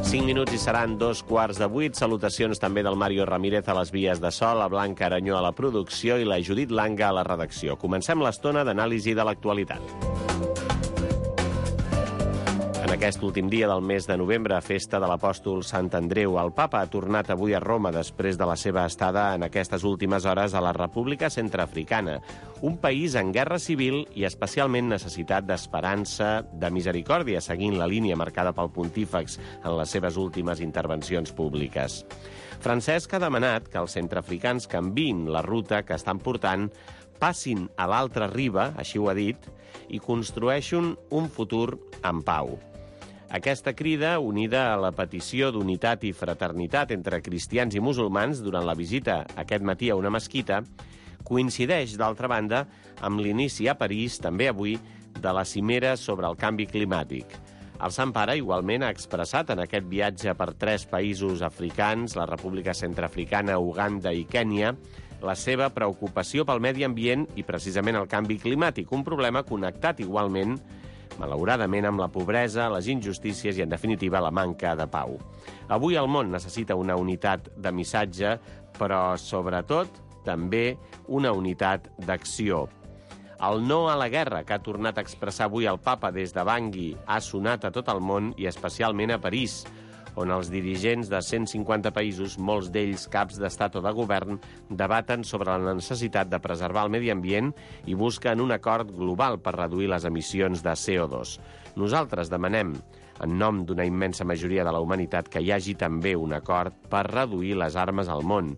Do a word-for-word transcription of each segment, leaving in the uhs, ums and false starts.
cinc minuts i seran dos quarts de vuit. Salutacions també del Mario Ramírez a les vies de so, la Blanca Aranyó a la producció i la Judit Langa a la redacció. Comencem l'estona d'anàlisi de l'actualitat. En aquest últim dia del mes de novembre, festa de l'apòstol Sant Andreu, el papa ha tornat avui a Roma després de la seva estada en aquestes últimes hores a la República Centreafricana, un país en guerra civil i especialment necessitat d'esperança, de misericòrdia, seguint la línia marcada pel pontífex en les seves últimes intervencions públiques. Francesc ha demanat que els centreafricans canviïn la ruta que estan portant, passin a l'altra riba, així ho ha dit, i construeixin un futur en pau. Aquesta crida, unida a la petició d'unitat i fraternitat entre cristians i musulmans durant la visita aquest matí a una mesquita, coincideix, d'altra banda, amb l'inici a París, també avui, de la cimera sobre el canvi climàtic. El Sant Pare igualment ha expressat en aquest viatge per tres països africans, la República Centreafricana, Uganda i Kènia, la seva preocupació pel medi ambient i precisament el canvi climàtic, un problema connectat igualment, malauradament, amb la pobresa, les injustícies i, en definitiva, la manca de pau. Avui el món necessita una unitat de missatge, però, sobretot, també una unitat d'acció. El no a la guerra que ha tornat a expressar avui el papa des de Bangui ha sonat a tot el món i especialment a París, on els dirigents de cent cinquanta països, molts d'ells caps d'estat o de govern, debaten sobre la necessitat de preservar el medi ambient i busquen un acord global per reduir les emissions de C O dos. Nosaltres demanem, en nom d'una immensa majoria de la humanitat, que hi hagi també un acord per reduir les armes al món,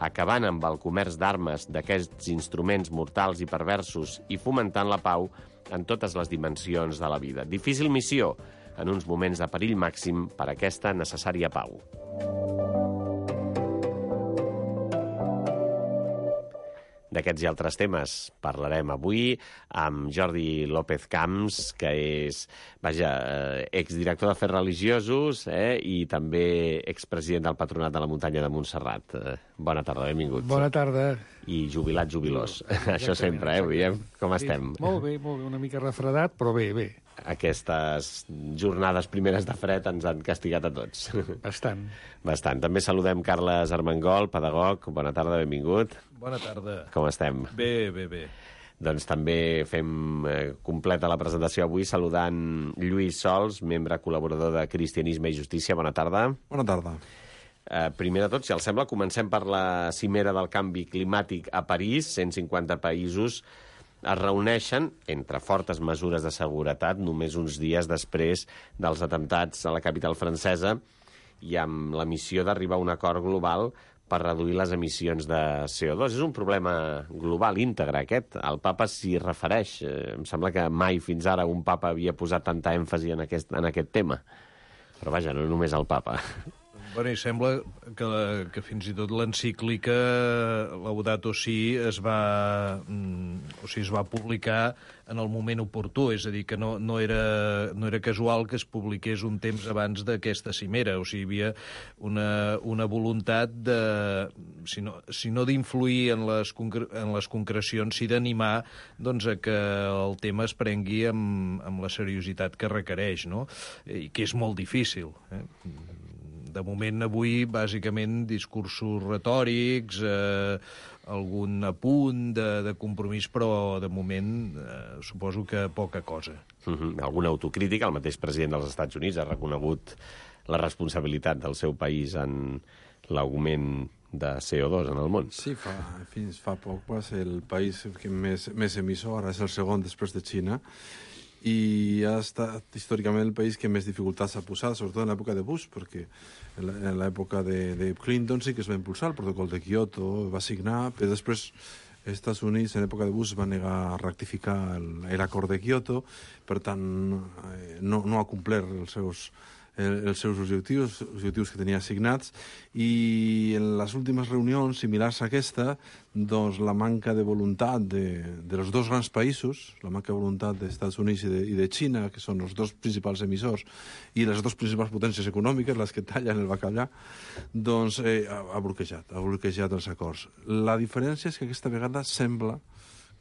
acabant amb el comerç d'armes d'aquests instruments mortals i perversos i fomentant la pau en totes les dimensions de la vida. Difícil missió, en uns moments de perill màxim per a aquesta necessària pau. D'aquests i altres temes parlarem avui amb Jordi López Camps, que és, vaja, exdirector d'Afers Religiosos eh, i també expresident del Patronat de la Muntanya de Montserrat. Bona tarda, benvingut. Bona tarda. I jubilat, jubilós. Això sempre, eh, avui, eh? Com estem? Sí, molt bé, molt bé, una mica refredat, però bé, bé. Aquestes jornades primeres de fred ens han castigat a tots. Bastant. Bastant. També saludem Carles Armengol, pedagog. Bona tarda, benvingut. Bona tarda. Com estem? Bé, bé, bé. Doncs també fem eh, completa la presentació avui saludant Lluís Sols, membre col·laborador de Cristianisme i Justícia. Bona tarda. Bona tarda. Eh, primer de tot, si els sembla, comencem per la cimera del canvi climàtic a París. cent cinquanta països es reuneixen, entre fortes mesures de seguretat, només uns dies després dels atemptats a la capital francesa i amb la missió d'arribar a un acord global per reduir les emissions de C O dos. És un problema global íntegre, aquest. El papa s'hi refereix. Eh, em sembla que mai fins ara un papa havia posat tanta èmfasi en aquest, en aquest tema. Però vaja, no només el papa. Bueno, i sembla que, que fins i tot l'encíclica Laudato Si es va, o sigui, es va publicar en el moment oportú, és a dir, que no, no, era, no era casual que es publiqués un temps abans d'aquesta cimera, o sigui, hi havia una, una voluntat de, si no, si no d'influir en les, en les concrecions, sí d'animar doncs, a que el tema es prengui amb, amb la seriositat que requereix, no? I que és molt difícil, eh? De moment, avui, bàsicament, discursos retòrics, eh, algun apunt de, de compromís, però, de moment, eh, suposo que poca cosa. Mm-hmm. Alguna autocrítica? El mateix president dels Estats Units ha reconegut la responsabilitat del seu país en l'augment de C O dos en el món. Sí, fa, fins fa poc va ser el país que més, més emissor, ara és el segon després de Xina, i ha estat històricament el país que més dificultats ha posat, sobretot en l'època de Bush, perquè en l'època de, de Clinton sí que es va impulsar el protocol de Kyoto, va signar, però després els Estats Units en l'època de Bush va negar a rectificar l'acord de Kyoto, per tant no, no ha complert els seus els seus objectius, objectius que tenia assignats, i en les últimes reunions similars a aquesta, doncs la manca de voluntat de, de els dos grans països, la manca de voluntat dels Estats Units i de, i de Xina, que són els dos principals emissors, i les dues principals potències econòmiques, les que tallen el bacallà, doncs eh, ha, ha bloquejat, ha bloquejat els acords. La diferència és que aquesta vegada sembla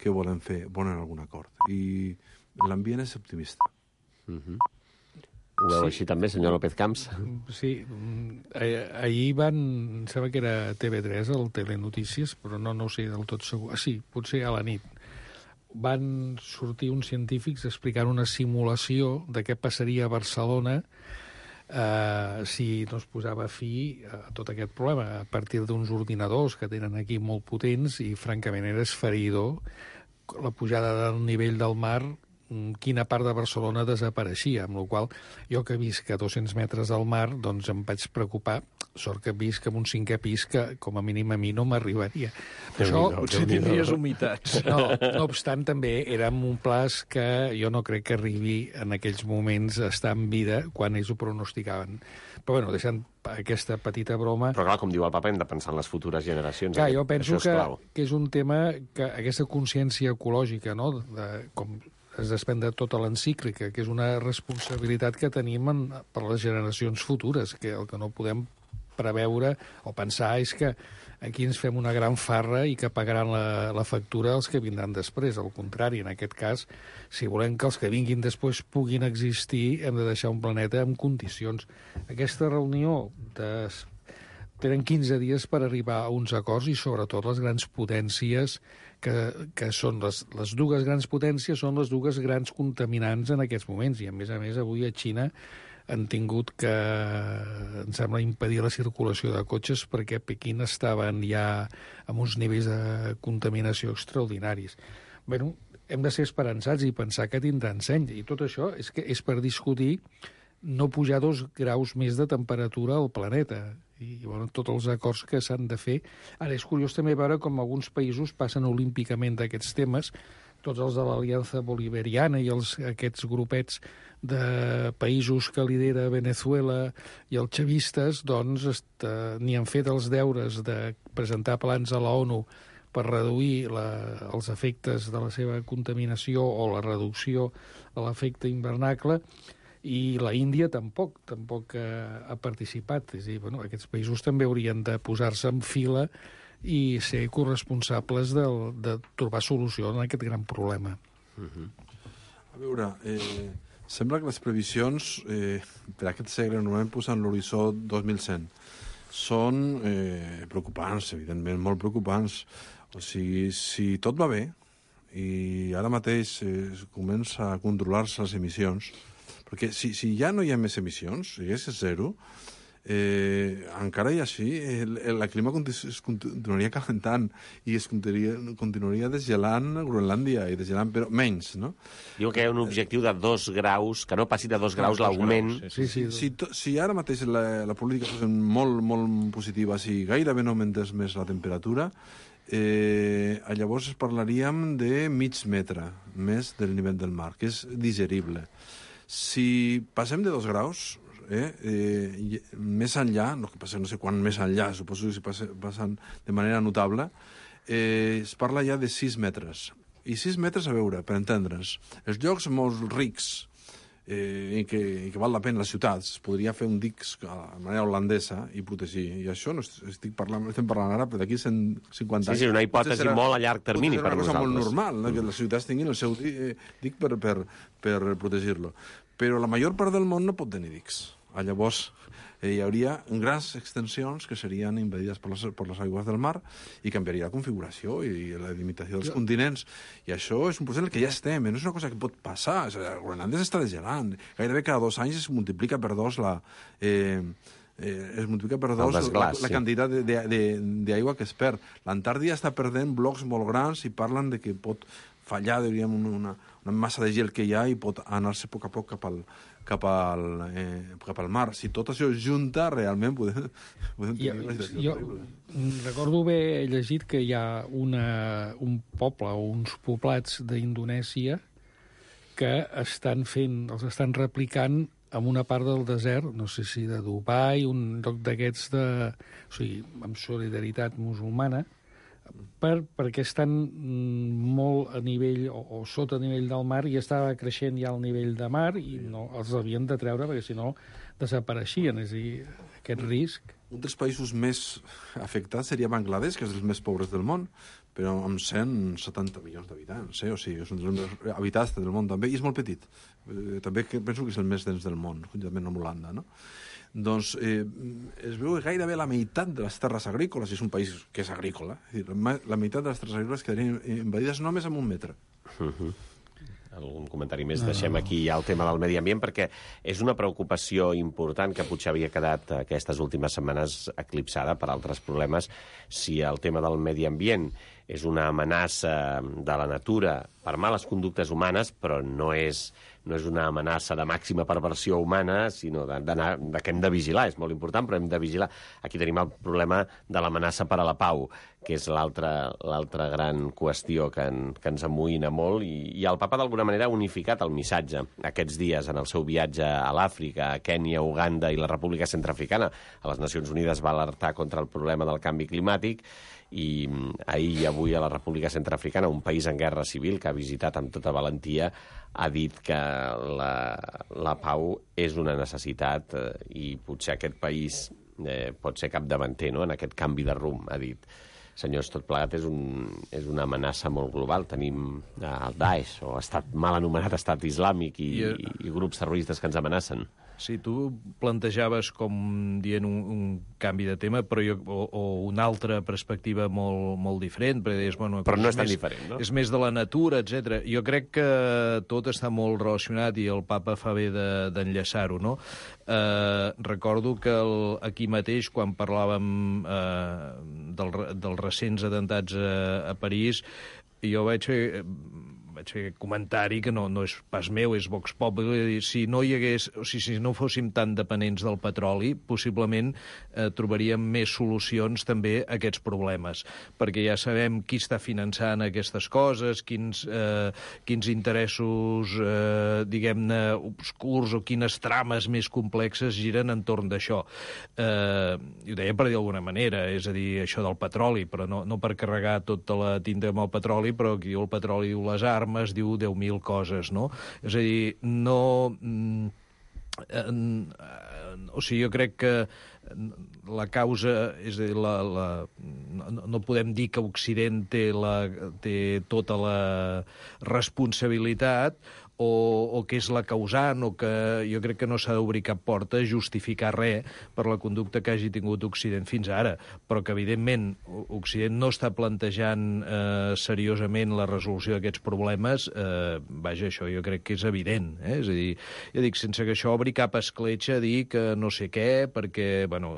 que volen fer, volen algun acord, i l'ambient és optimista. Mhm. Ho veu Sí. així també, senyor López Camps? Sí, mm, eh, ahir van, em sembla que era T V tres, el Telenotícies, però no, no ho sé del tot segur. Ah, sí, potser a la nit. Van sortir uns científics explicant una simulació de què passaria a Barcelona eh, si no es posava fi a tot aquest problema a partir d'uns ordinadors que tenen aquí molt potents i, francament, era esfereïdor la pujada del nivell del mar, quina part de Barcelona desapareixia, amb la qual jo que visc a dos-cents metres del mar, doncs em vaig preocupar, sort que visc en un cinquè pis que, com a mínim, a mi no m'arribaria. Això, Potser tindries humitats. no, no obstant, també era en un plaç que jo no crec que arribi en aquells moments a estar en vida quan ells ho pronosticaven. Però, bueno, deixant aquesta petita broma... Però, clar, com diu el papa, hem de pensar en les futures generacions. Clar, Aquest, jo penso això és que, clau. que és un tema que aquesta consciència ecològica, no?, de, com es desprèn de tota l'encíclica, que és una responsabilitat que tenim en, per les generacions futures, que el que no podem preveure o pensar és que aquí ens fem una gran farra i que pagaran la, la factura els que vindran després. Al contrari, en aquest cas, si volem que els que vinguin després puguin existir, hem de deixar un planeta en condicions. Aquesta reunió de... tenen quinze dies per arribar a uns acords i, sobretot, les grans potències que, que són les, les dues grans potències són les dues grans contaminants en aquests moments. I, a més a més, avui a Xina han tingut que, em sembla, impedir la circulació de cotxes perquè a Pequín estaven ja amb uns nivells de contaminació extraordinaris. Bé, hem de ser esperançats i pensar que tindran seny. I tot això és que és per discutir no pujar dos graus més de temperatura al planeta. I, bueno, tots els acords que s'han de fer. Ara, és curiós també veure com alguns països passen olímpicament d'aquests temes, tots els de l'Aliança Bolivariana i els, aquests grupets de països que lidera Venezuela i els chavistes, doncs, est, ni han fet els deures de presentar plans a la ONU per reduir la, els efectes de la seva contaminació o la reducció de l'efecte hivernacle, i la Índia tampoc, tampoc ha, ha participat. És a dir, bueno, aquests països també haurien de posar-se en fila i ser corresponsables de, de trobar solució a aquest gran problema. Uh-huh. A veure, eh, sembla que les previsions eh, per aquest segle normalment posen l'horitzó dos mil cent. Són eh, preocupants, evidentment, molt preocupants. O sigui, si tot va bé i ara mateix eh, comença a controlar-se les emissions, perquè si, si ja no hi ha més emissions, si és zero, eh, encara i així el, el, la clima es continuaria calentant i es continuaria, continuaria desgelant Groenlàndia i desgelant, però menys, no? Diu que hi ha un objectiu de dos graus, que no passi de dos graus l'augment. Sí, sí. Si, to, si ara mateix la, la política fos molt, molt positiva, si gairebé no augmentés més la temperatura, eh, llavors parlaríem de mig metre més del nivell del mar, que és digerible. Si passem de dos graus, eh, eh, més enllà, no que passem no sé quan més enllà, suposo que si passe, passen de manera notable, eh, es parla ja de sis metres. I sis metres, a veure, per entendre'ns, els llocs molt rics eh, i, que, i que val la pena, les ciutats, es podria fer un dic de manera holandesa i protegir. I això no estic parlant, estem parlant ara, però d'aquí cent cinquanta anys... Sí, sí, una hipòtesi serà, molt a llarg termini per nosaltres. Potser serà una cosa molt normal, no? Que les ciutats tinguin el seu dic per, per, per protegir-lo. Però la major part del món no pot tenir dics. Llavors, eh, hi hauria grans extensions que serien invadides per les, per les aigües del mar i canviaria la configuració i la limitació dels jo... continents. I això és un procés en el que ja estem, no és una cosa que pot passar. Groenlàndia s'està desgelant. Gairebé cada dos anys es multiplica per dos la... Eh, eh, es multiplica per dos desglàs, la, la quantitat d'aigua que es perd. L'Antàrtida està perdent blocs molt grans i parlen de que pot fallar, diríem, una, una massa de gel que hi ha i pot anar-se a poc a poc cap al, cap al, eh, cap al mar. Si tot això es junta, realment podem, podem tenir una situació jo, terrible. Recordo haver llegit que hi ha una, un poble o uns poblats d'Indonèsia que estan fent, els estan replicant en una part del desert, no sé si de Dubai, un lloc d'aquests de... O sigui, amb solidaritat musulmana, per, perquè estan molt a nivell o, o sota nivell del mar i estava creixent ja el nivell de mar i no els havien de treure perquè si no desapareixien. És a dir, aquest risc... Un dels països més afectats seria Bangladesh, que és dels més pobres del món, però amb cent setanta milions d'habitants, eh? O sigui, és un dels més habitats del món també, i és molt petit. Eh, també penso que és el més dens del món, juntament amb Holanda, no? Doncs eh, es veu que gairebé la meitat de les terres agrícoles, és un país que és agrícola, és dir, la meitat de les terres agrícoles quedarien invadides només amb un metre. Uh-huh. Algun comentari més? No. Deixem aquí ja el tema del medi ambient, perquè és una preocupació important que potser havia quedat aquestes últimes setmanes eclipsada per altres problemes. Si el tema del medi ambient és una amenaça de la natura per males conductes humanes, però no és, no és una amenaça de màxima perversió humana, sinó de, de, de que hem de vigilar. És molt important, però hem de vigilar. Aquí tenim el problema de l'amenaça per a la pau, que és l'altra l'altra gran qüestió que, en, que ens amoïna molt, i, i el papa d'alguna manera ha unificat el missatge aquests dies en el seu viatge a l'Àfrica, a Kènia, Uganda i la República Centreafricana. A les Nacions Unides va alertar contra el problema del canvi climàtic, i ahir i avui a la República Centreafricana, un país en guerra civil que ha visitat amb tota valentia, ha dit que la, la pau és una necessitat, eh, i potser aquest país eh, pot ser capdavanter, no?, en aquest canvi de rumb, ha dit. Senyors, tot plegat és, un, és una amenaça molt global. Tenim el Daesh, o estat mal anomenat estat islàmic, i, I, i grups terroristes que ens amenacen. Sí, tu plantejaves com dient un, un canvi de tema, però jo, o, o una altra perspectiva molt, molt diferent, perquè deies, bueno, però no és tan més, diferent, no? És més de la natura, etcètera. Jo crec que tot està molt relacionat, i el papa fa bé d'enllaçar-ho, no? Eh, recordo que el, aquí mateix, quan parlàvem eh, del, dels recents atentats a, a París, jo vaig fer... vaig fer comentari que no, no és pas meu, és Vox Populi. Si no hi hagués, o sigui, si no fóssim tan dependents del petroli, possiblement eh, trobaríem més solucions també a aquests problemes, perquè ja sabem qui està finançant aquestes coses, quins, eh, quins interessos, eh, diguem-ne, obscurs, o quines trames més complexes giren entorn d'això. Eh, ho deia per dir d'alguna manera, és a dir, això del petroli, però no, no per carregar tota la tinta amb el petroli, però aquí el petroli diu les armes, es diu deu mil coses, no? És a dir, no... Eh, eh, o sigui, jo crec que la causa, és a dir, la, la, no, no podem dir que Occident té, la, té tota la responsabilitat, o, o que és la causant, o que jo crec que no s'ha d'obrir cap porta a justificar res per la conducta que hagi tingut Occident fins ara, però que, evidentment, Occident no està plantejant eh, seriosament la resolució d'aquests problemes, eh, vaja, això jo crec que és evident, eh? És a dir, ja dic, sense que això obri cap escletxa a dir que no sé què, perquè, bueno,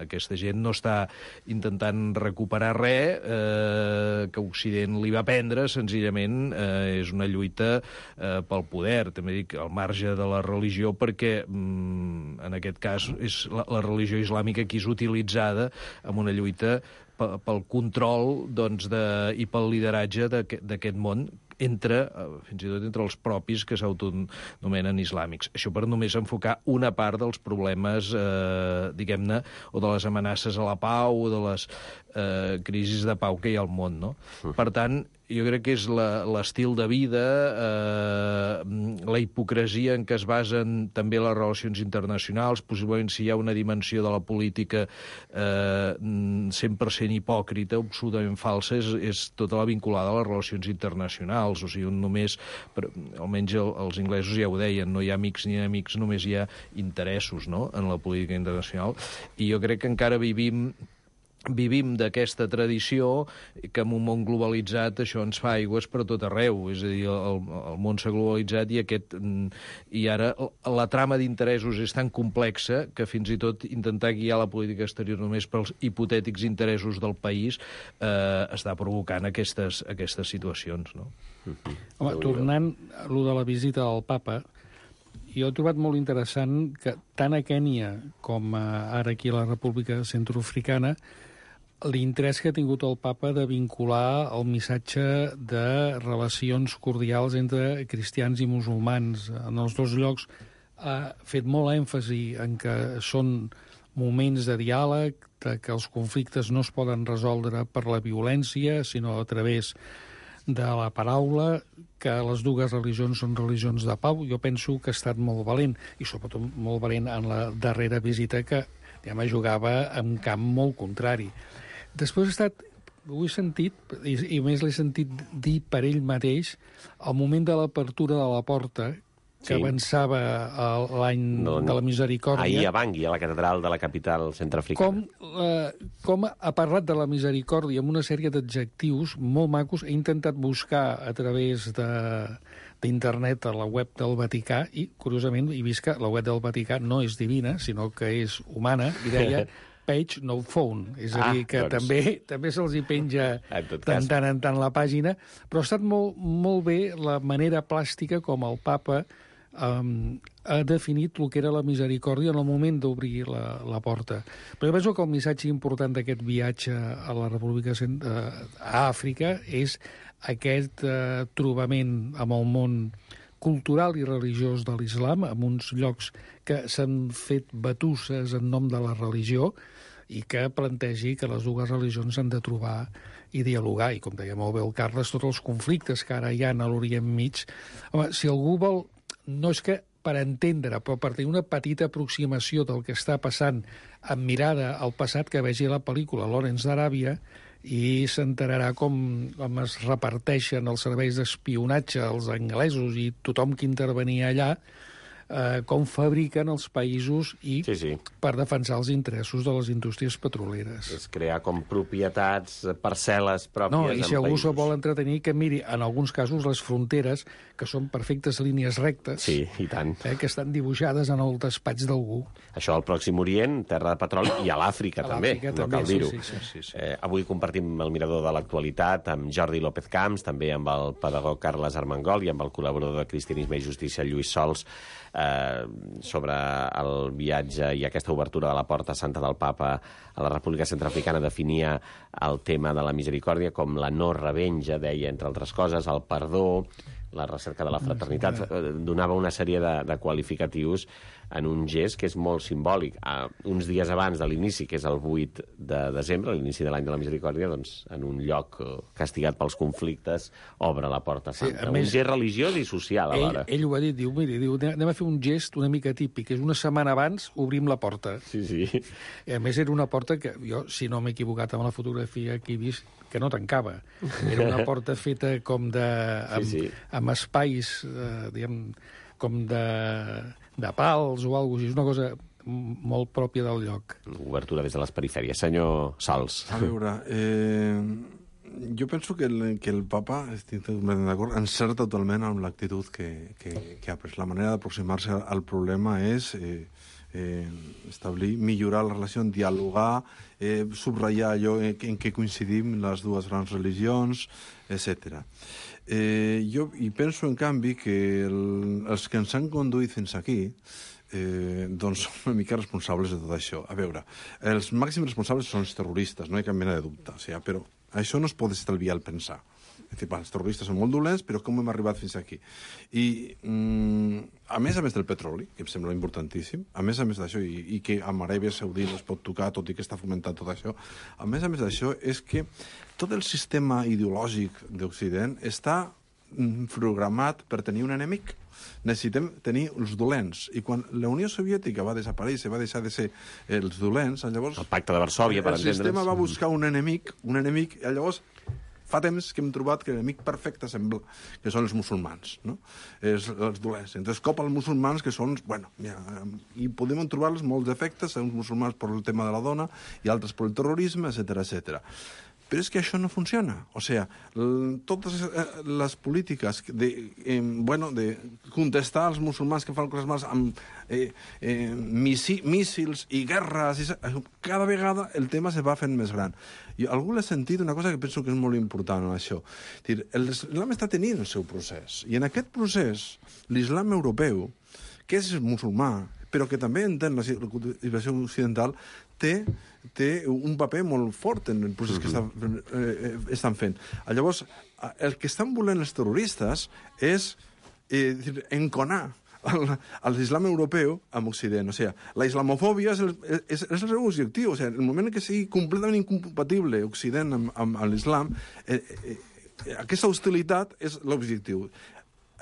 aquesta gent no està intentant recuperar res, eh, que Occident li va prendre, senzillament eh, és una lluita eh, pel poder, també dic, al marge de la religió, perquè mm, en aquest cas és la, la religió islàmica que és utilitzada en una lluita pel control, doncs, de, i pel lideratge d'aquest món, entre, fins i tot entre els propis que s'autonomenen islàmics. Això per només enfocar una part dels problemes, eh, diguem-ne, o de les amenaces a la pau, o de les eh, crisis de pau que hi ha al món, no? Uh-huh. Per tant, jo crec que és l'estil de vida, eh, la hipocresia en què es basen també les relacions internacionals, possiblement si hi ha una dimensió de la política eh, cent per cent hipòcrita, absolutament falsa, és, és tota la vinculada a les relacions internacionals. O sigui, només, per, almenys el, els inglesos ja ho deien, no hi ha amics ni enemics, només hi ha interessos, no?, en la política internacional. I jo crec que encara vivim vivim d'aquesta tradició, que en un món globalitzat això ens fa aigües per tot arreu. És a dir, el, el món s'ha globalitzat i, aquest, i ara la trama d'interessos és tan complexa que fins i tot intentar guiar la política exterior només pels hipotètics interessos del país eh, està provocant aquestes, aquestes situacions, no? Mm-hmm. Home, tornant a allò de la visita del papa, jo he trobat molt interessant que tant a Kènia com a, ara aquí a la República Centroafricana, l'interès que ha tingut el papa de vincular el missatge de relacions cordials entre cristians i musulmans. En els dos llocs ha fet molt èmfasi en que són moments de diàleg, de que els conflictes no es poden resoldre per la violència, sinó a través de la paraula, que les dues religions són religions de pau. Jo penso que ha estat molt valent, i sobretot molt valent en la darrera visita, que ja me jugava en camp molt contrari. Després ha estat, ho he sentit, i, i més l'he sentit dir per ell mateix, al moment de l'apertura de la porta, que sí. avançava l'any no, no. de la misericòrdia. Ahir a Bangui, a la catedral de la capital centreafricana. Com, eh, com ha parlat de la misericòrdia amb una sèrie d'adjectius molt macos. He intentat buscar a través de d'internet a la web del Vaticà i, curiosament, he vist que la web del Vaticà no és divina, sinó que és humana, i deia page no phone, és a dir, que ah, doncs... també també se'ls hi penja tant, tant en tant la pàgina, però ha estat molt, molt bé la manera plàstica com el papa Um, ha definit el que era la misericòrdia en el moment d'obrir la, la porta. Però jo penso que el missatge important d'aquest viatge a la República uh, a Àfrica és aquest uh, trobament amb el món cultural i religiós de l'islam, en uns llocs que s'han fet batusses en nom de la religió i que plantegi que les dues religions han de trobar i dialogar, i com deia molt bé el Carles, tots els conflictes que ara hi ha a l'Orient Mig. Home, si algú vol, no és que per entendre, però per tenir una petita aproximació del que està passant amb mirada al passat, que vegi la pel·lícula Lawrence d'Aràbia i s'enterarà com, com es reparteixen els serveis d'espionatge als anglesos i tothom que intervenia allà, eh, com fabriquen els països i sí, sí. per defensar els interessos de les indústries petroleres. És crear com propietats, parcel·les pròpies no, en i si algú països. se vol entretenir, que miri, en alguns casos, les fronteres, que són perfectes línies rectes, sí, i tant. Eh, que estan dibuixades en el despatx d'algú. Això al Pròxim Orient, terra de petroli, i a l'Àfrica també, no també, cal dir-ho. Sí, sí, sí, sí. Eh, avui compartim el mirador de l'actualitat amb Jordi López Camps, també amb el pedagog Carles Armengol i amb el col·laborador de Cristianisme i Justícia, Lluís Sols, eh, sobre el viatge i aquesta obertura de la Porta Santa del Papa a la República Centreafricana. Definia el tema de la misericòrdia com la no revenja, deia, entre altres coses, el perdó, la recerca de la fraternitat, donava una sèrie de, de qualificatius en un gest que és molt simbòlic. Uh, uns dies abans de l'inici, que és el vuit de desembre, l'inici de l'any de la misericòrdia, doncs, en un lloc uh, castigat pels conflictes, obre la Porta Santa. Sí, un gest religiós i social, alhora. Ell, ell ho ha dit, diu, miri, diu, anem a fer un gest una mica típic, que és una setmana abans obrim la porta. Sí, sí. I a més era una porta que jo, si no m'he equivocat amb la fotografia que he vist, que no tancava. Era una porta feta com de... amb, sí, sí. amb espais, eh, diguem, com de, de pals o alguna cosa. És una cosa molt pròpia del lloc. Obertura des de les perifèries. Senyor Sals. A veure, eh, jo penso que el, que el papa, estic totalment d'acord, encerta totalment amb l'actitud que, que, que ha pres. La manera d'aproximar-se al problema és... Eh, Eh, establir, millorar la relació, dialogar, eh, subratllar allò en, en què coincidim les dues grans religions, etcètera. Eh, jo i penso, en canvi, que el, els que ens han conduït fins aquí eh, doncs són una mica responsables de tot això. A veure, els màxims responsables són els terroristes, no hi ha cap mena de dubte, o sigui, però això no es pot estalviar al pensar. És dir, els terroristes són molt dolents, però com hem arribat fins aquí? I, mm, a més a més del petroli, que em sembla importantíssim, a més a més d'això, i, i que amb Aràbia Saudita es pot tocar, tot i que està fomentant tot això, a més a més d'això és que tot el sistema ideològic d'Occident està mm, programat per tenir un enemic. Necessitem tenir els dolents. I quan la Unió Soviètica va desaparèixer, va deixar de ser els dolents, llavors... El pacte de Varsòvia, per entendre's. El sistema va buscar un enemic, un enemic, i llavors... Fa temps que hem trobat que l'enemic perfecte sembla que són els musulmans, no? És, els dolents. Entonces, cop als musulmans, que són... Bueno, ja, i podem trobar-los molts defectes, uns musulmans per el tema de la dona i altres per el terrorisme, etcètera, etcètera. Però és que això no funciona. O sigui, totes les polítiques de, eh, bueno, de contestar als musulmans que fan coses males amb eh, eh, míssils i guerres, i cada vegada el tema se va fent més gran. I algú l'ha sentit una cosa que penso que és molt important en això. L'islam està tenint el seu procés. I en aquest procés, l'islam europeu, que és musulmà, però que també entén la civilizació occidental, té, té un paper molt fort en el procés que està, eh, estan fent. Llavors, el que estan volent els terroristes és eh, enconar a l'islam europeu amb Occident. O sigui, la islamofòbia és el, és, és el seu objectiu. O sigui, el moment que sigui completament incompatible Occident amb, amb, amb l'islam, eh, eh, aquesta hostilitat és l'objectiu.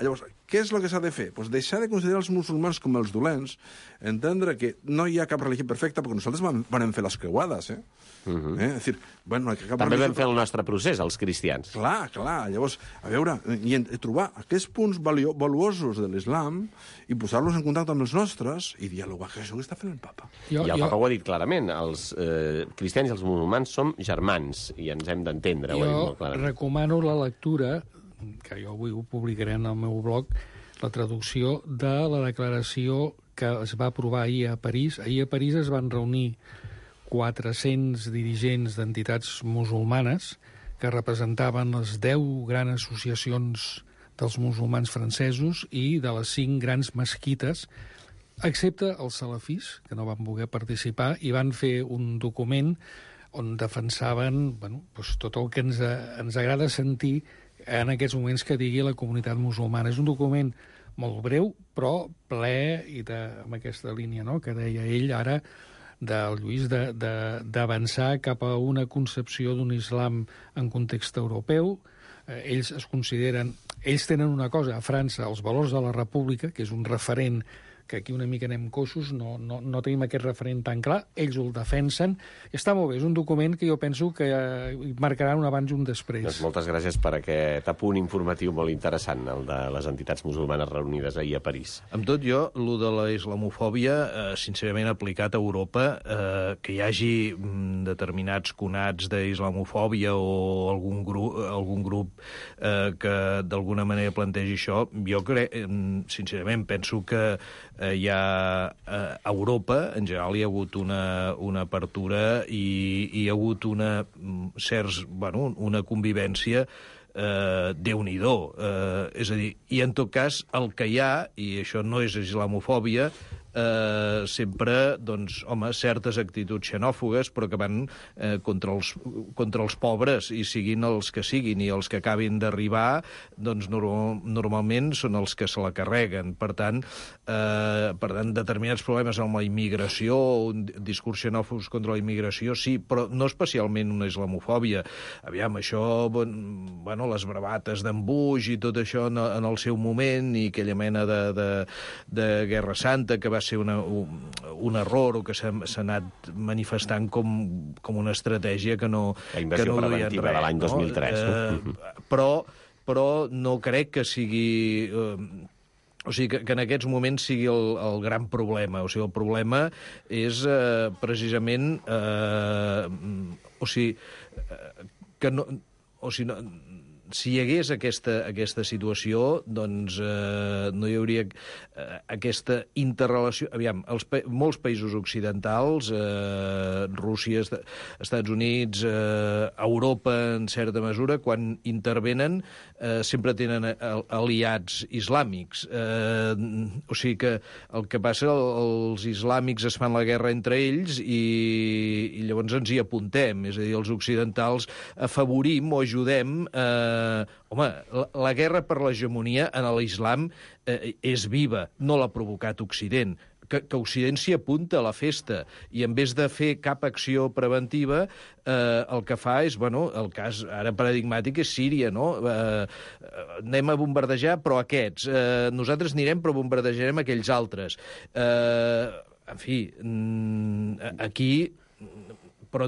Llavors, què és el que s'ha de fer? Pues deixar de considerar els musulmans com els dolents, entendre que no hi ha cap religió perfecta, perquè nosaltres vam, vam fer les creuades, eh? Uh -huh. eh? És dir, bueno, cap També religió... vam fer el nostre procés, els cristians. Clar, clar. Llavors, a veure, i, i trobar aquests punts valio, valuosos de l'islam i posar-los en contacte amb els nostres i dialogar, que això que està fent el papa. Jo, I el jo... papa ho ha dit clarament, els eh, cristians i els musulmans som germans i ens hem d'entendre. Jo recomano la lectura, que jo avui ho publicaré en el meu blog, la traducció de la declaració que es va aprovar ahir a París. Ahir a París es van reunir quatre-cents dirigents d'entitats musulmanes que representaven les deu grans associacions dels musulmans francesos i de les cinc grans mesquites, excepte els salafís, que no van voler participar, i van fer un document on defensaven bueno, doncs tot el que ens, ens agrada sentir en aquests moments que digui la comunitat musulmana. És un document molt breu, però ple i de, amb aquesta línia, no?, que deia ell ara, del Lluís, d'avançar cap a una concepció d'un islam en context europeu. Eh, ells es consideren... Ells tenen una cosa, a França, els valors de la república, que és un referent que aquí una mica anem coixos, no, no, no tenim aquest referent tan clar, ells el defensen, i està molt bé, és un document que jo penso que eh, marcarà un abans i un després. Doncs moltes gràcies per aquest apunt informatiu molt interessant, el de les entitats musulmanes reunides ahir a París. Amb tot jo, el de la islamofòbia, eh, sincerament aplicat a Europa, eh, que hi hagi mm, determinats conats d'islamofòbia o algun grup, algun grup eh, que d'alguna manera plantegi això, jo crec, eh, sincerament, penso que eh, hi ha eh, a Europa, en general, hi ha hagut una, una apertura i, i hi ha hagut una, certs, bueno, una convivència eh, Déu-n'hi-do. Eh, és a dir, i en tot cas, el que hi ha, i això no és islamofòbia, eh, sempre, doncs, home, certes actituds xenòfogues, però que van eh, contra, els, contra els pobres, i siguin els que siguin, i els que acabin d'arribar, doncs, normal, normalment són els que se la carreguen. Per tant, eh, per tant, determinats problemes amb la immigració, un discurs xenòfobs contra la immigració, sí, però no especialment una islamofòbia. Aviam, això, bueno, les bravates d'en Bush i tot això en, en el seu moment, i aquella mena de, de, de Guerra Santa, que va ser una, un, un error, o que s'ha anat manifestant com, com una estratègia que no... La invasió que no preventiva res, de l'any dos mil tres. No? Eh, però, però no crec que sigui... Eh, o sigui, que, que en aquests moments sigui el, el gran problema. O sigui, el problema és eh, precisament... Eh, o sigui, eh, que no... O sigui, no, si hi hagués aquesta, aquesta situació, doncs eh, no hi hauria eh, aquesta interrelació... Aviam, els, molts països occidentals, eh, Rússia, Estats Units, eh, Europa, en certa mesura, quan intervenen, eh, sempre tenen aliats islàmics. Eh, o sigui que el que passa, els islàmics es fan la guerra entre ells i, i llavors ens hi apuntem. És a dir, els occidentals afavorim o ajudem... Eh, Uh, home, la, la guerra per l'hegemonia en l'islam uh, és viva, no l'ha provocat Occident. Que, que Occident s'hi apunta a la festa i en vez de fer cap acció preventiva, eh, el que fa és, bueno, el cas ara paradigmàtic és Síria, no? Eh, anem a bombardejar, però aquests. Eh, nosaltres anirem, però bombardejarem aquells altres. Eh, en fi, aquí... Però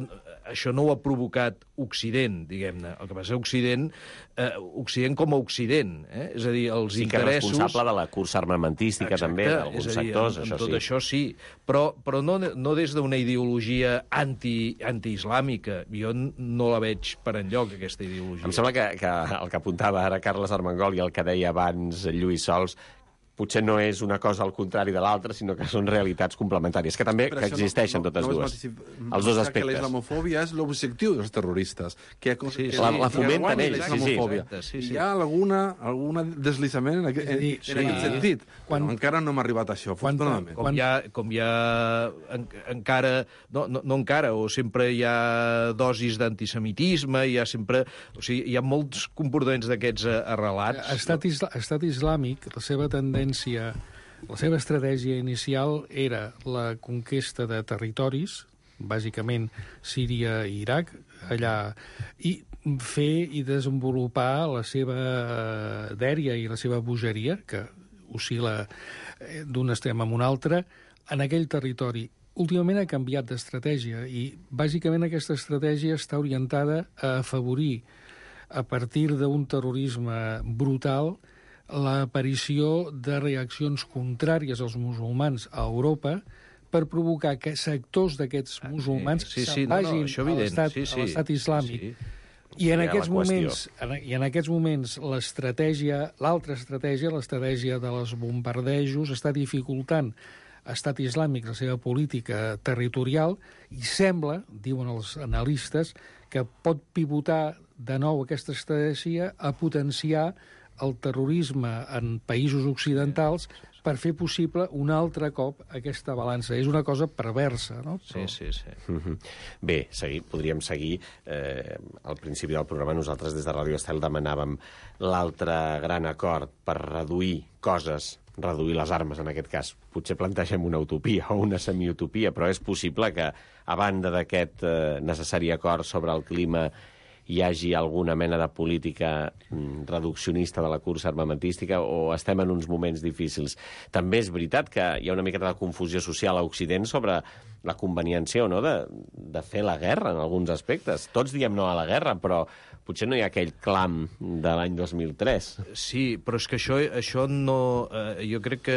això no ho ha provocat Occident, diguem-ne. El que passa és Occident, eh, Occident com a Occident, eh? És a dir, els sí, interessos... Sí, que és responsable de la cursa armamentística. Exacte, també, d'alguns sectors, en, en això tot sí. això sí, però, però no, no des d'una ideologia anti, anti-islàmica. Jo no la veig per enlloc, aquesta ideologia. Em sembla que, que el que apuntava ara Carles Armengol i el que deia abans Lluís Sols potser no és una cosa al contrari de l'altra, sinó que són realitats complementàries, que també que existeixen no, no, totes no dues. Els dos aspectes. Que la islamofòbia és l'objectiu dels terroristes. Que, que, sí, sí, la, la fomenten ells. Sí, sí. Sí, sí. Hi ha alguna, alguna deslizament en, aquest, en, sí, en aquest sentit. Quan, però encara no hem arribat a això, afortunadament. Com hi ha, com hi ha en, encara... No, no, no encara, o sempre hi ha dosis d'antisemitisme, hi ha sempre... O sigui, hi ha molts comportaments d'aquests arrelats. Estat, isla, estat islàmic, la seva tendència la seva estratègia inicial era la conquesta de territoris, bàsicament Síria i Iraq, allà, i fer i desenvolupar la seva dèria i la seva bogeria, que oscil·la d'un extrem a un altre, en aquell territori. Últimament ha canviat d'estratègia i, bàsicament, aquesta estratègia està orientada a afavorir, a partir d'un terrorisme brutal, l'aparició de reaccions contràries als musulmans a Europa per provocar que sectors d'aquests musulmans sí, sí, se'n vagin no, no, a l'estat sí, sí. islàmic. Sí. I en, Sí, aquests la qüestió. moments, en, I en aquests moments l'estratègia, l'altra estratègia, l'estratègia dels bombardejos, està dificultant Estat Islàmic la seva política territorial i sembla, diuen els analistes, que pot pivotar de nou aquesta estratègia a potenciar el terrorisme en països occidentals per fer possible un altre cop aquesta balança. És una cosa perversa, no? Sí, sí, sí. Mm-hmm. Bé, seguir, podríem seguir. Eh, al principi del programa nosaltres des de Ràdio Estel demanàvem l'altre gran acord per reduir coses, reduir les armes en aquest cas. Potser plantegem una utopia o una semiutopia, però és possible que, a banda d'aquest eh, necessari acord sobre el clima, hi hagi alguna mena de política mm, reduccionista de la cursa armamentística, o estem en uns moments difícils. També és veritat que hi ha una miqueta de confusió social a Occident sobre la conveniència o no de, de fer la guerra en alguns aspectes. Tots diem no a la guerra, però potser no hi ha aquell clam de l'any dos mil tres. Sí, però és que això, això no... Eh, jo crec que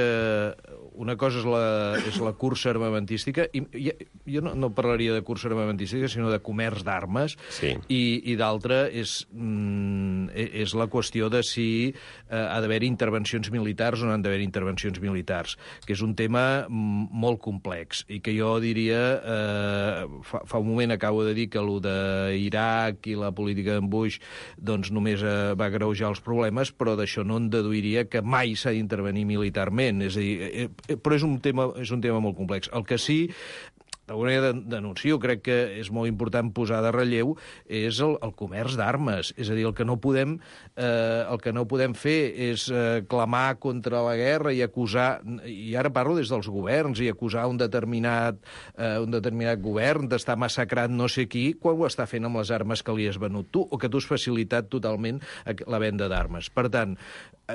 una cosa és la, és la cursa armamentística, i, i jo no, no parlaria de cursa armamentística, sinó de comerç d'armes, sí. i, i d'altra és, mm, és la qüestió de si eh, ha d'haver intervencions militars o no han d'haver intervencions militars, que és un tema molt complex, i que jo diria... Eh, fa, fa un moment acabo de dir que allò d'Iraq i la política d'en Bush doncs només eh, va agreujar els problemes, però d'això no en deduiria que mai s'ha d'intervenir militarment. És a dir, eh, eh, però és un tema, és un tema molt complex. El que sí, d'alguna manera denuncio, crec que és molt important posar de relleu, és el, el comerç d'armes. És a dir, el que no podem, eh, el que no podem fer és eh, clamar contra la guerra i acusar, i ara parlo des dels governs, i acusar un determinat, eh, un determinat govern d'estar massacrant no sé qui, quan ho està fent amb les armes que li has venut tu, o que tu has facilitat totalment la venda d'armes. Per tant,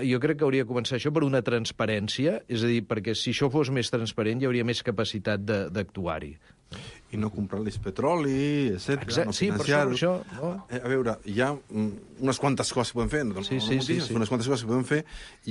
jo crec que hauria de començar això per una transparència, és a dir, perquè si això fos més transparent hi hauria més capacitat d'actuar-hi. I no comprar-los petroli, etcètera. No sí, per això... això no? A veure, hi ha unes quantes coses que podem fer, no, sí, no, sí, no sí, sí. unes quantes coses que podem fer,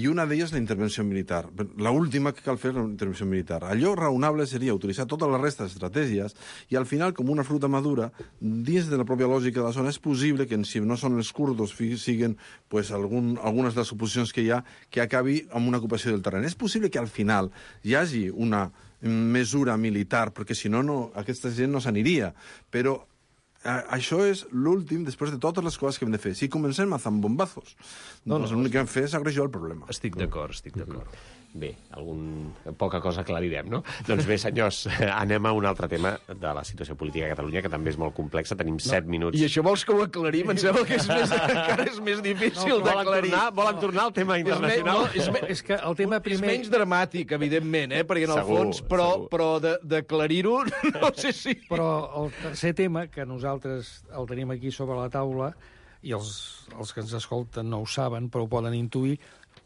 i una d'elles la intervenció militar. L'última que cal fer és la intervenció militar. Allò raonable seria utilitzar tota la resta d'estratègies i al final, com una fruita madura, dins de la pròpia lògica de la zona, és possible que si no són els kurdos siguin pues, algun, algunes de les oposicions que hi ha que acabi amb una ocupació del terreny. És possible que al final hi hagi una mesura militar, perquè si no, no aquesta gent no s'aniria. Però eh, això és l'últim després de totes les coses que hem de fer. Si comencem a zambombazos, no, doncs no, l'únic que hem de fer és agreujar el problema. Estic d'acord, estic d'acord. Bé, algun... poca cosa aclarirem, no? Doncs bé, senyors, anem a un altre tema de la situació política a Catalunya, que també és molt complexa. Tenim no. set minuts. I això vols que ho aclarim? Em sembla que és més, encara és més difícil no, d'aclarir. Volen, volen no. tornar al tema internacional? És, me, no, és, me, és que el tema primer... És menys dramàtic, evidentment, eh? Perquè en el segur, fons, però, però d'aclarir-ho, no sé si... Però el tercer tema, que nosaltres el tenim aquí sobre la taula, i els, els que ens escolten no ho saben, però ho poden intuir,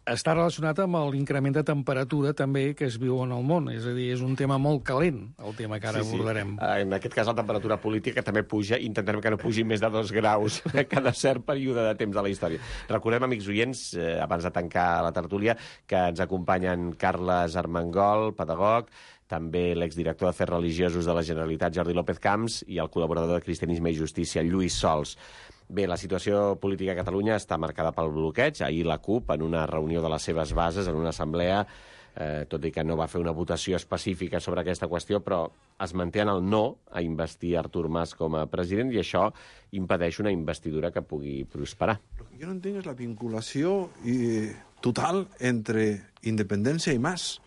està relacionat amb l'increment de temperatura també que es viu en el món. És a dir, és un tema molt calent, el tema que ara sí, abordarem. Sí. En aquest cas, la temperatura política també puja. Intentarem que no pugi més de dos graus cada cert període de temps de la història. Recordem, amics oients, eh, abans de tancar la tertúlia, que ens acompanyen Carles Armengol, pedagog, també l'exdirector d'Afers Religiosos de la Generalitat, Jordi López Camps, i el col·laborador de Cristianisme i Justícia, Lluís Sols. Bé, la situació política a Catalunya està marcada pel bloqueig. Ahir la CUP, en una reunió de les seves bases, en una assemblea, eh, tot i que no va fer una votació específica sobre aquesta qüestió, però es manté en el no a investir Artur Mas com a president, i això impedeix una investidura que pugui prosperar. El que jo no entenc és la vinculació eh, total entre independència i Mas.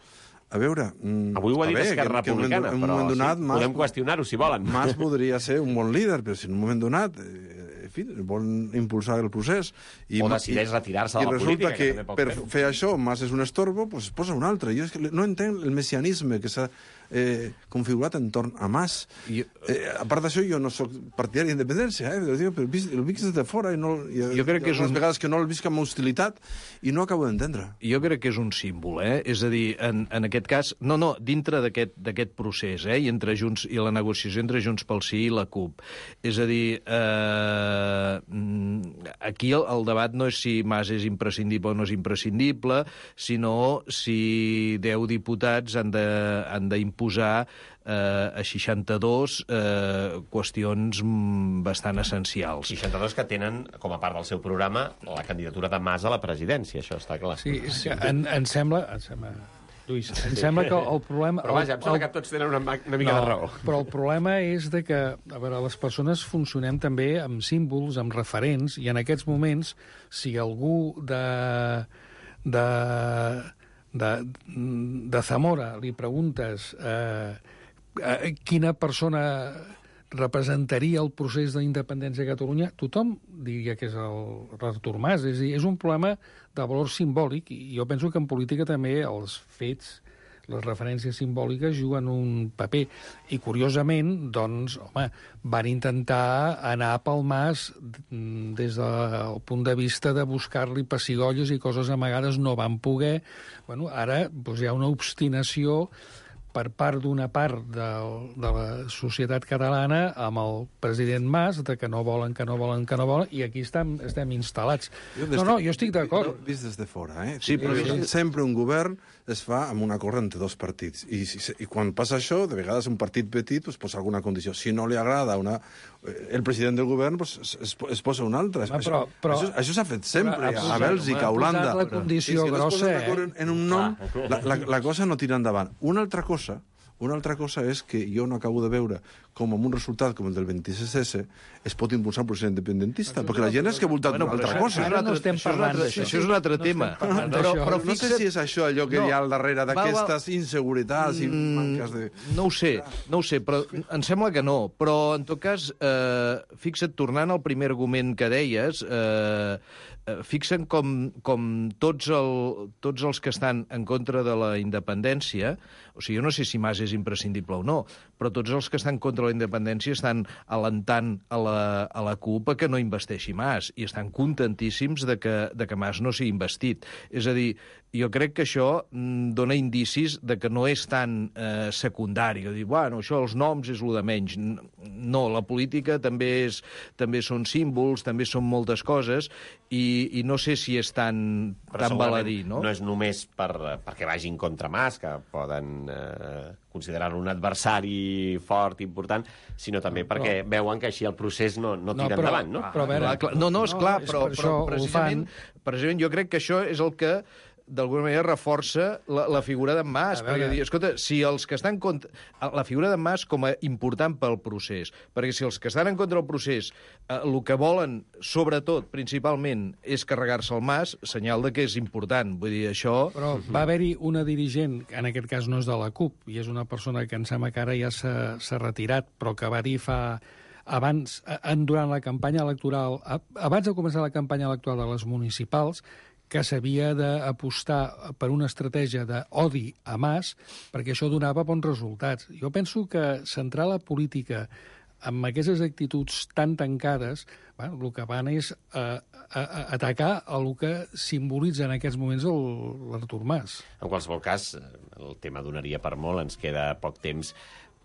A veure... Mm, Avui ho ha dit bé, Esquerra Republicana, en un però moment donat, sí, Mas, podem qüestionar-ho, si volen. Mas podria ser un bon líder, però si en un moment donat, eh, en fi, vol impulsar el procés... I, o decideix retirar-se de la política, que, que per fer això Mas és un estorbo, doncs posa un altre. Jo és que no entenc el messianisme que s'ha eh, configurat entorn a Mas. I, eh, a part d'això, jo no sóc partidari d'independència, eh? Però el visc des de fora i, no, i jo crec que és un... vegades que no el visc amb hostilitat i no acabo d'entendre. Jo crec que és un símbol, eh? És a dir, en, en aquest cas... No, no, dintre d'aquest procés, eh? I entre Junts i la negociació entre Junts pel Sí i la CUP. És a dir, eh, aquí el, el debat no és si Mas és imprescindible o no és imprescindible, sinó si deu diputats han de, han d'imposar eh, a seixanta-dos eh, qüestions bastant essencials. seixanta-dos que tenen, com a part del seu programa, la candidatura de Mas a la presidència, això està clar. Sí, és que en, em sembla... Em sembla... Lluís, em sembla que el problema... Però vaja, em sembla que tots tenen una, una mica no, de raó. Però el problema és de que, a veure, les persones funcionem també amb símbols, amb referents, i en aquests moments, si algú de... de de, de Zamora li preguntes eh, eh, quina persona representaria el procés d'independència de Catalunya, tothom diria que és el Artur Mas. És a dir, és un problema de valor simbòlic, i jo penso que en política també els fets, les referències simbòliques juguen un paper. I, curiosament, doncs, home, van intentar anar pel Mas des del punt de vista de buscar-li pessigolles i coses amagades, no van poder. Bueno, ara doncs, hi ha una obstinació per part d'una part de, de la societat catalana amb el president Mas, de que no volen, que no volen, que no volen, i aquí estem, estem instal·lats. No, no, jo estic d'acord. No, vist des de fora, eh? Sí, però... Sí. Sempre un govern es fa amb un acord entre dos partits. I, i quan passa això, de vegades un partit petit pues, posa alguna condició. Si no li agrada una, el president del govern, pues, es, es posa un altre. Home, però, però, això això s'ha fet sempre, però, a Bèlgica, a Holanda. La condició si grossa, eh? En un nom, la, la, la cosa no tira endavant. Una altra cosa Una altra cosa és que jo no acabo de veure com amb un resultat com el del vint-i-sis esse es pot impulsar un procés independentista, perquè la gent és que ha voltat bueno, una altra això, cosa. Ara no estem parlant d'això. Això és un altre tema. No però, però no sé si és això allò que no, hi ha al darrere d'aquestes inseguretats i manques de... No ho sé, no ho sé, però em sembla que no. Però, en tot cas, eh, fixa't, tornant al primer argument que deies, eh, fixa't com, com tots, el, tots els que estan en contra de la independència, o sigui, jo no sé si Mas és imprescindible o no, però tots els que estan contra la independència estan alentant a la, a la CUP a que no investeixi Mas, i estan contentíssims de que, de que Mas no sigui investit. És a dir, jo crec que això dona indicis de que no és tan eh, secundari, o dir, bueno, això, els noms és lo de menys. No, la política també, és, també són símbols, també són moltes coses, i, i no sé si és tan, tan baladí, no? No és només per, perquè vagin contra Mas, que poden eh, considerar-lo un adversari fort, important, sinó també no, perquè però... veuen que així el procés no, no tira no, però, endavant, no? Però, però, veure, no, no, és clar, no, però, és però precisament, precisament jo crec que això és el que d'alguna manera reforça la, la figura d'en Mas, perquè dir, escolta, si els que estan contra... La figura d'en Mas com a important pel procés, perquè si els que estan en contra del procés eh, el que volen, sobretot, principalment, és carregar-se el Mas, senyal de que és important. Vull dir, això... Però va haver-hi una dirigent, que en aquest cas no és de la CUP, i és una persona que em sembla que ara ja s'ha retirat, però que va dir fa... abans, en, durant la campanya electoral, abans de començar la campanya electoral de les municipals, que s'havia d'apostar per una estratègia d'odi a Mas, perquè això donava bons resultats. Jo penso que centrar la política amb aquestes actituds tan tancades, bueno, el que van és a, a, a atacar el que simbolitza en aquests moments l'Artur Mas. En qualsevol cas, el tema donaria per molt, ens queda poc temps,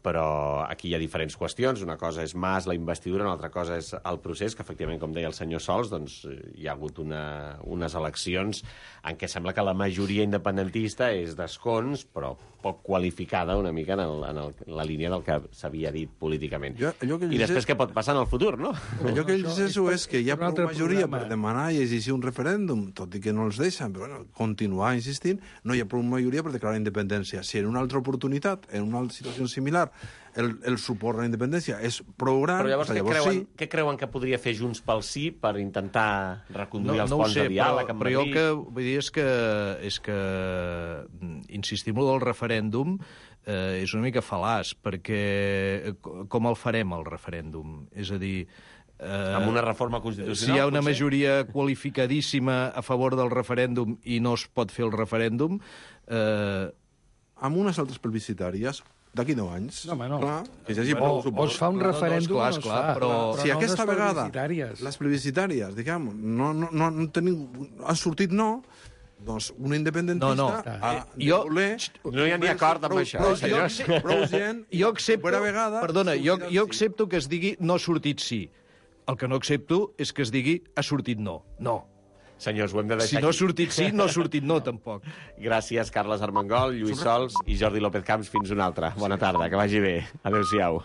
però aquí hi ha diferents qüestions. Una cosa és Mas, la investidura, una altra cosa és el procés, que efectivament, com deia el senyor Sols, doncs, hi ha hagut una, unes eleccions en què sembla que la majoria independentista és d'escons, però poc qualificada una mica en, el, en el, la línia del que s'havia dit políticament. Jo, que I després què pot passar en el futur, no? Allò que ells és, és que hi ha prou majoria per demanar i exigir un referèndum, tot i que no els deixen, però bueno, continuar insistint, no hi ha prou majoria per declarar independència. Si en una altra oportunitat, en una altra situació similar, el, el suport a la independència és prou gran... Però llavors, què, llavors creuen, sí. què creuen que podria fer Junts pel Sí per intentar reconduir no, els no ponts sé, de diàleg amb però, però Madrid? jo el que vull dir és que, és que insistim en el referèndum eh, és una mica fal·laç, perquè com el farem, el referèndum? És a dir... Eh, amb una reforma constitucional, si hi ha una potser? majoria qualificadíssima a favor del referèndum i no es pot fer el referèndum... Eh... Amb unes altres plebiscitàries d'aquí deu anys. No, home, no. Clar, que hi hagi O, prou o es suport. fa un No, no, referèndum esclar, o no es esclar, fa. però- Si no aquesta les vegada plebiscitàries. les plebiscitàries, diguem, no, no, no, no tenim, han sortit no, doncs un independentista No, no. ha de Jo- voler... No hi ha ni acord amb prou, això, prou, senyors. gent, prou gent, Jo accepto, per a vegada... perdona, jo, sortirà jo sí. accepto que es digui no ha sortit sí. El que no accepto és que es digui ha sortit no. No. Senyors, ho hem de Si deixar no ha aquí. sortit sí, no ha sortit no, tampoc. Gràcies, Carles Armengol, Lluís Sols i Jordi López Camps. Fins una altra. Bona tarda, que vagi bé. Adéu-siau.